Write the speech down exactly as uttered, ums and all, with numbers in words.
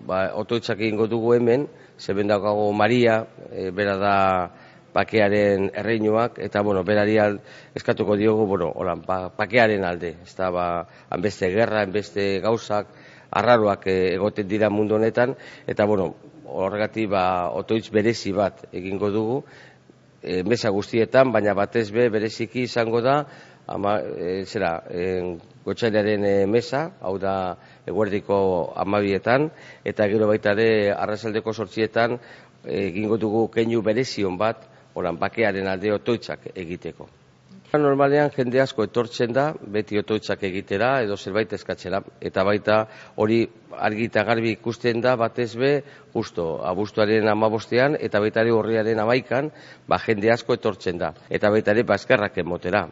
ba, otoitzak egingo dugu hemen, zeben daukago Maria, e, bera da pakearen erreinuak, eta, bueno, berari eskatuko diogu, bueno, holan, ba, pakearen alde, ez da, ba, hanbeste gerra, hanbeste gauzak, arraroak egoten dira mundu honetan, eta, bueno, horregatik, ba, otoitz berezi bat egingo dugu, e, mesa guztietan, baina batez be bereziki izango da, ama, e, zera, e, gotxailaren e, mesa, hau da eguerdiko amabietan, eta gero baita ere arratsaldeko zortzietan egingo dugu keinu berezion bat, horan bakearen alde otoitzak egiteko. Normalean jende asko etortzen da, beti otoitzak egitera edo zerbait eskatzera, eta baita hori argi eta garbi ikusten da batez be, justo abuztuaren hamabostean eta baita ere urriaren hamaikan, ba jende asko etortzen da, eta baita ere eskerrak emotera.